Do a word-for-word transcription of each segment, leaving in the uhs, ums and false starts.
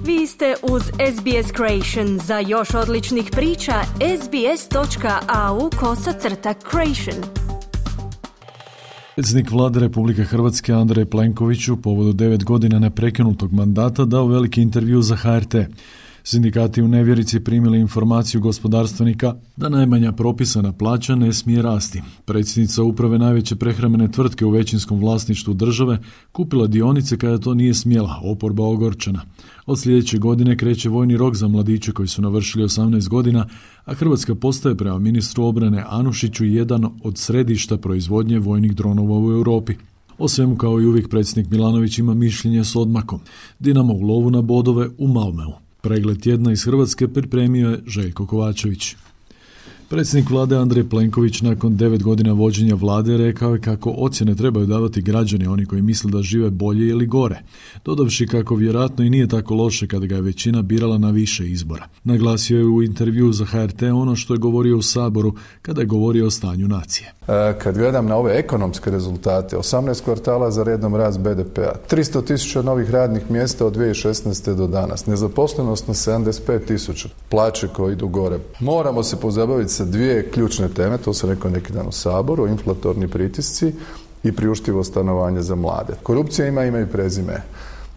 Vi ste uz S B S Creation. Za još odličnih priča, sbs.au kosacrta creation. Predsjednik Vlade Republike Hrvatske Andrej Plenković u povodu devet godina neprekinutog mandata dao veliki intervju za H R T. Sindikati u nevjerici primili informaciju gospodarstvenika da najmanja propisana plaća ne smije rasti. Predsjednica uprave najveće prehrambene tvrtke u većinskom vlasništvu države kupila dionice kada to nije smjela, oporba ogorčena. Od sljedeće godine kreće vojni rok za mladiće koji su navršili osamnaest godina, a Hrvatska postaje prema ministru obrane Anušiću jedan od središta proizvodnje vojnih dronova u Europi. O svemu kao i uvijek predsjednik Milanović ima mišljenje s odmakom. Dinamo u lovu na bodove u Malmeu. Pregled tjedna iz Hrvatske pripremio je Željko Kovačević. Predsjednik Vlade Andrej Plenković nakon devet godina vođenja Vlade rekao je kako ocjene trebaju davati građani, oni koji misle da žive bolje ili gore, dodavši kako vjerojatno i nije tako loše kada ga je većina birala na više izbora. Naglasio je u intervju za H R T ono što je govorio u Saboru kada je govorio o stanju nacije. Kad gledam na ove ekonomske rezultate, osamnaest kvartala za redom rast B D P-a, tristo tisuća novih radnih mjesta od dvije tisuće šesnaeste do danas, nezaposlenost na sedamdeset pet tisuća, plaće koje idu gore. Moramo se pozabaviti sa dvije ključne teme, to sam rekao neki dan u Saboru, inflatorni pritisci i priuštivo stanovanje za mlade. Korupcija ima ime i prezime.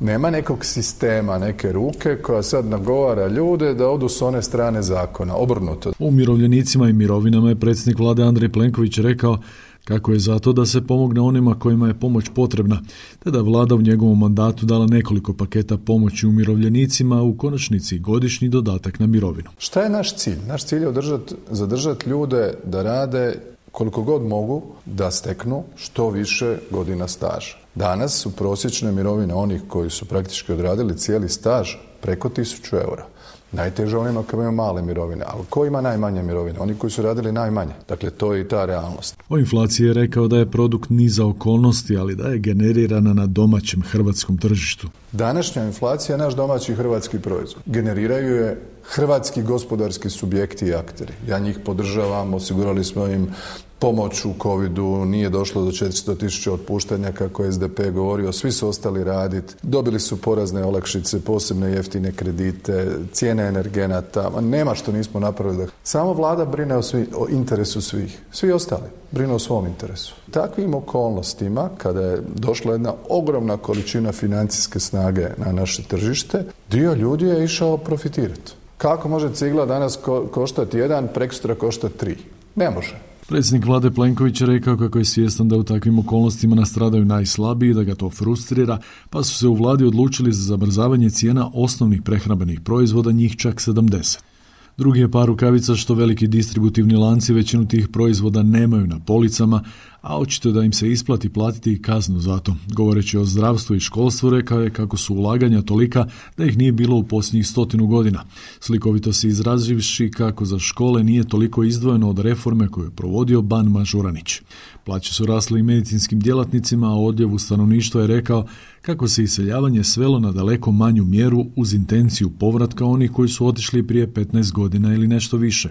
Nema nekog sistema, neke ruke koja sad nagovara ljude da odu s one strane zakona, obrnuto. U umirovljenicima i mirovinama je predsjednik Vlade Andrej Plenković rekao kako je zato da se pomogne onima kojima je pomoć potrebna, te da Vlada u njegovom mandatu dala nekoliko paketa pomoći umirovljenicima, u konačnici godišnji dodatak na mirovinu. Šta je naš cilj? Naš cilj je održati, zadržati ljude da rade koliko god mogu, da steknu što više godina staža. Danas su prosječne mirovine onih koji su praktički odradili cijeli staž preko tisuću eura. Najteže onima koji imaju male mirovine, ali ko ima najmanje mirovine? Oni koji su radili najmanje. Dakle, to je i ta realnost. O inflaciji je rekao da je produkt niza okolnosti, ali da je generirana na domaćem hrvatskom tržištu. Današnja inflacija je naš domaći hrvatski proizvod. Generiraju je hrvatski gospodarski subjekti i akteri. Ja njih podržavam, osigurali smo im pomoć u covidu, nije došlo do četiristo tisuća otpuštanja kako je S D P govorio, svi su ostali raditi, dobili su porazne olakšice, posebne jeftine kredite, cijene energenata, nema što nismo napravili. Samo Vlada brine o, svi, o interesu svih, svi ostali brinu o svom interesu. Takvim okolnostima, kada je došla jedna ogromna količina financijske snage na naše tržište, dio ljudi je išao profitirati. Kako može cigla danas ko- koštati jedan, prekosutra koštati tri? Ne može. Predsjednik Vlade Plenković je rekao kako je svjestan da u takvim okolnostima nastradaju najslabiji, da ga to frustrira, pa su se u Vladi odlučili za zamrzavanje cijena osnovnih prehrambenih proizvoda, njih čak sedamdeset. Drugi je par rukavica što veliki distributivni lanci većinu tih proizvoda nemaju na policama, a očito da im se isplati platiti i kaznu za to. Govoreći o zdravstvu i školstvu, rekao je kako su ulaganja tolika da ih nije bilo u posljednjih stotinu godina. Slikovito se izrazivši kako za škole nije toliko izdvojeno od reforme koju je provodio Ban Mažuranić. Plaće su rasle i medicinskim djelatnicima, a odljevu stanovništva je rekao kako se iseljavanje svelo na daleko manju mjeru uz intenciju povratka onih koji su otišli prije petnaest godina ili nešto više.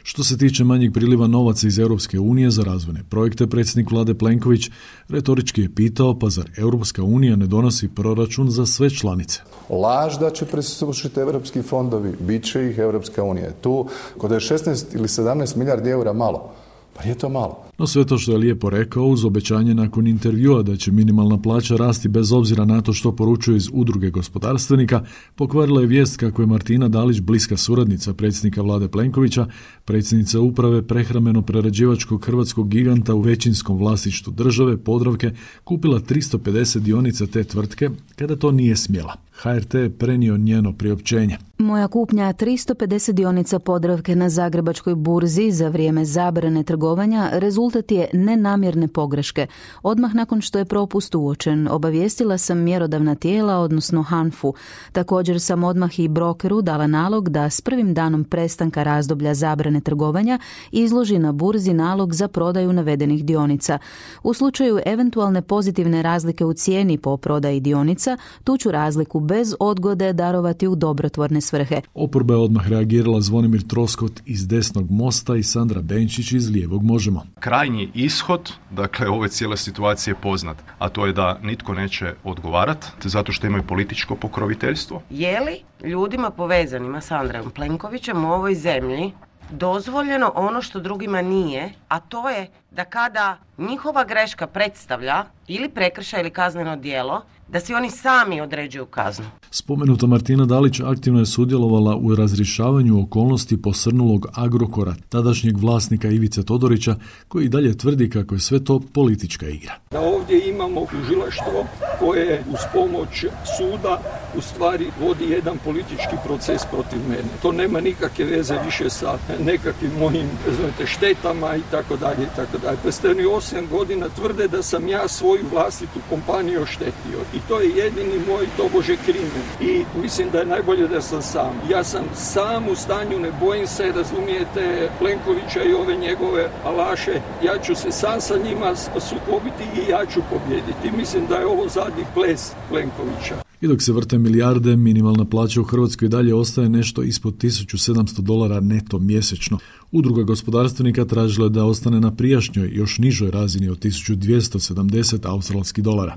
Što se tiče manjeg priliva novaca iz Europske unije za razvojne projekte, predsjednik Vlade Plenković retorički je pitao, pa zar Europska unija ne donosi proračun za sve članice? Laž da će presušiti europski fondovi, bit će ih Europska unija. Tu, kod je šesnaest ili sedamnaest milijardi eura malo, pa je to malo. No sve to što je lijepo rekao uz obećanje nakon intervjua da će minimalna plaća rasti bez obzira na to što poručuje iz udruge gospodarstvenika, pokvarila je vijest kako je Martina Dalić, bliska suradnica predsjednika Vlade Plenkovića, predsjednica uprave prehrambeno-prerađivačkog hrvatskog giganta u većinskom vlasništvu države, Podravke, kupila tristo pedeset dionica te tvrtke kada to nije smjela. H R T je prenio njeno priopćenje. Moja kupnja tristo pedeset dionica Podravke na Zagrebačkoj burzi za vrijeme zabrane trgovanja rezultat je nenamjerne pogreške. Odmah nakon što je propust uočen, obavijestila sam mjerodavna tijela, odnosno Hanfu. Također sam odmah i brokeru dala nalog da s prvim danom prestanka razdoblja zabrane trgovanja izloži na burzi nalog za prodaju navedenih dionica. U slučaju eventualne pozitivne razlike u cijeni po prodaji dionica, tu ću razliku bez odgode darovati u dobrotvorne svrhe. Oporba je odmah reagirala Zvonimir Troskot iz desnog Mosta i Sandra Benčić iz lijevog Možemo. Kraj krajnji ishod, dakle, ove cijele situacije je poznat, a to je da nitko neće odgovarati zato što imaju političko pokroviteljstvo. Je li ljudima povezanima s Andrejom Plenkovićem u ovoj zemlji dozvoljeno ono što drugima nije, a to je da kada njihova greška predstavlja ili prekršaj ili kazneno djelo, da si oni sami određuju kaznu? Spomenuta Martina Dalić aktivno je sudjelovala u razrješavanju okolnosti posrnulog Agrokora, tadašnjeg vlasnika Ivice Todorića, koji dalje tvrdi kako je sve to politička igra. Da ovdje imamo tužilaštvo koje uz pomoć suda u stvari vodi jedan politički proces protiv mene. To nema nikakve veze više sa nekakvim mojim znate, štetama i tako dalje i tako dalje. Pa ste oni osam godina tvrde da sam ja svoju vlastitu kompaniju oštetio i to je jedini moj tobože krimen. I mislim da je najbolje da sam sam. Ja sam sam u stanju, ne bojim se, razumijete, Plenkovića i ove njegove alaše. Ja ću se sam sa njima sukobiti i ja ću pobjediti. Mislim da je ovo zadnji ples Plenkovića. I dok se vrte milijarde, minimalna plaća u Hrvatskoj dalje ostaje nešto ispod tisuću sedamsto dolara neto mjesečno. Udruga gospodarstvenika tražila je da ostane na prijašnjoj, još nižoj razini od tisuću dvjesto sedamdeset australskih dolara.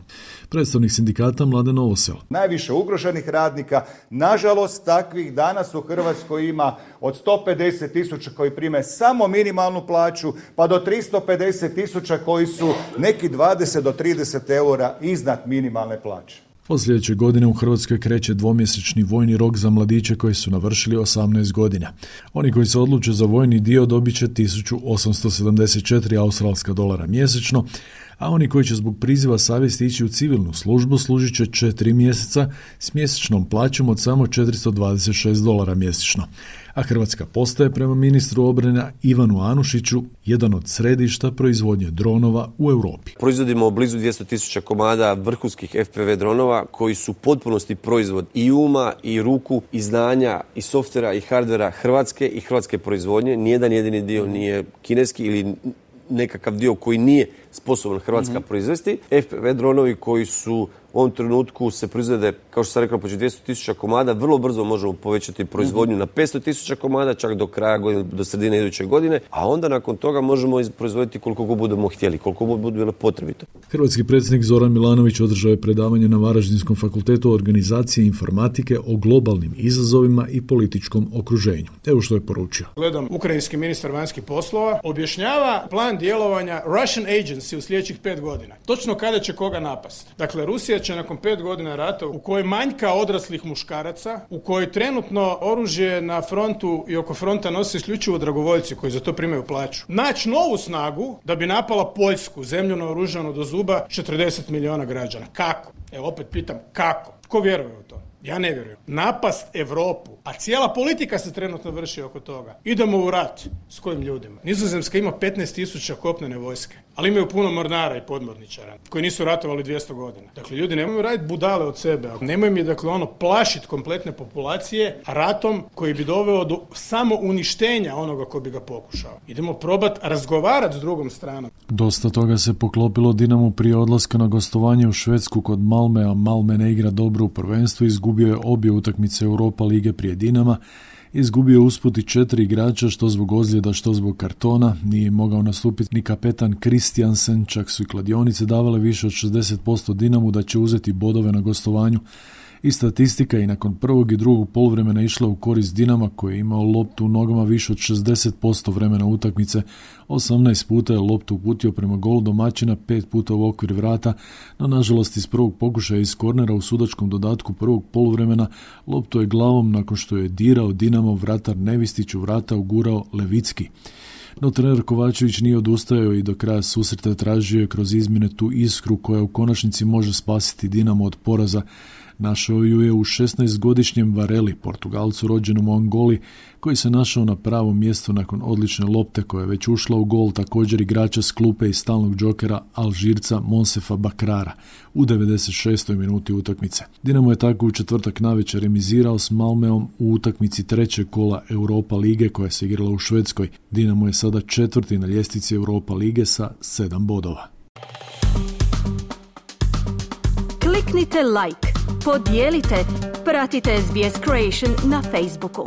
Predstavnik sindikata Mladen Novosel. Najviše ugroženih radnika, nažalost takvih danas u Hrvatskoj ima od sto pedeset tisuća koji prime samo minimalnu plaću, pa do tristo pedeset tisuća koji su neki dvadeset do trideset eura iznad minimalne plaće. Od sljedeće godine u Hrvatskoj kreće dvomjesečni vojni rok za mladiće koji su navršili osamnaest godina. Oni koji se odluče za vojni dio dobit će tisuću osamsto sedamdeset četiri australska dolara mjesečno, a oni koji će zbog priziva savjesti ići u civilnu službu služit će četiri mjeseca s mjesečnom plaćom od samo četiristo dvadeset šest dolara mjesečno. A Hrvatska postaje prema ministru obrane Ivanu Anušiću jedan od središta proizvodnje dronova u Europi. Proizvodimo blizu dvjesto tisuća komada vrhunskih F P V dronova koji su u potpunosti proizvod i uma i ruku i znanja i softvera i hardvera Hrvatske i hrvatske proizvodnje. Nijedan jedini dio nije kineski ili nekakav dio koji nije sposoban Hrvatska mm-hmm. proizvesti. F P V dronovi koji su u ovom trenutku se proizvode, kao što sam rekao, početi dvjesto tisuća komada, vrlo brzo možemo povećati proizvodnju mm-hmm. na petsto tisuća komada, čak do kraja godine, do sredine iduće godine, a onda nakon toga možemo proizvoditi koliko god budemo htjeli, koliko god bude bilo potrebito. Hrvatski predsjednik Zoran Milanović održao je predavanje na Varaždinskom fakultetu organizacije informatike o globalnim izazovima i političkom okruženju. Evo što je poručio. Gledam, ukrajinski ministar vanjskih poslova objašnjava plan djelovanja Russian Agency u sljedećih pet godina. Točno kada će koga napast. Dakle, Rusija će nakon pet godina rata u kojoj manjka odraslih muškaraca, u kojoj trenutno oružje na frontu i oko fronta nose isključivo dragovoljci koji za to primaju plaću, naći novu snagu da bi napala Poljsku, zemlju naoružanu do zuba, četrdeset milijuna građana. Kako? Evo opet pitam, kako? Tko vjeruje u to? Ja ne vjerujem. Napast Europu, a cijela politika se trenutno vrši oko toga. Idemo u rat. S kojim ljudima? Nizozemska ima petnaest tisuća kopnene vojske, ali imaju puno mornara i podmorničara koji nisu ratovali dvjesto godina. Dakle, ljudi nemaju raditi budale od sebe. Nemoj mi, dakle, ono, plašiti kompletne populacije ratom koji bi doveo do samo uništenja onoga ko bi ga pokušao. Idemo probati razgovarati s drugom stranom. Dosta toga se poklopilo Dinamu prije odlaska na gostovanje u Švedsku kod Malmea. Malme ne igra dobro u prvenstvu, izgubio je obje utakmice Europa lige prije Dinama, izgubio je usput i četiri igrača, što zbog ozljeda, što zbog kartona. Nije mogao nastupiti ni kapetan Kristiansen, čak su i kladionice davale više od šezdeset posto Dinamu da će uzeti bodove na gostovanju. I statistika i nakon prvog i drugog poluvremena išla u korist Dinama koji je imao loptu u nogama više od šezdeset posto vremena utakmice. osamnaest puta je loptu uputio prema golu domaćina, pet puta u okvir vrata, no nažalost iz prvog pokušaja iz kornera u sudačkom dodatku prvog poluvremena loptu je glavom nakon što je dirao Dinamo vratar Nevistić u vrata ugurao Levicki. No trener Kovačević nije odustajao i do kraja susreta tražio je kroz izmjene tu iskru koja u konačnici može spasiti Dinamo od poraza. Našao ju je u šesnaestogodišnjem Vareli, Portugalcu rođenom u Angoli, koji se našao na pravom mjestu nakon odlične lopte koja je već ušla u gol, također igrača s klupe i stalnog džokera Alžirca Monsefa Bakrara u devedeset šestoj minuti utakmice. Dinamo je tako u četvrtak navečer remizirao s Malmeom u utakmici trećeg kola Europa lige koja se igrala u Švedskoj. Dinamo je sada četvrti na ljestvici Europa lige sa sedam bodova. Kliknite like, podijelite, pratite S B S Creation na Facebooku.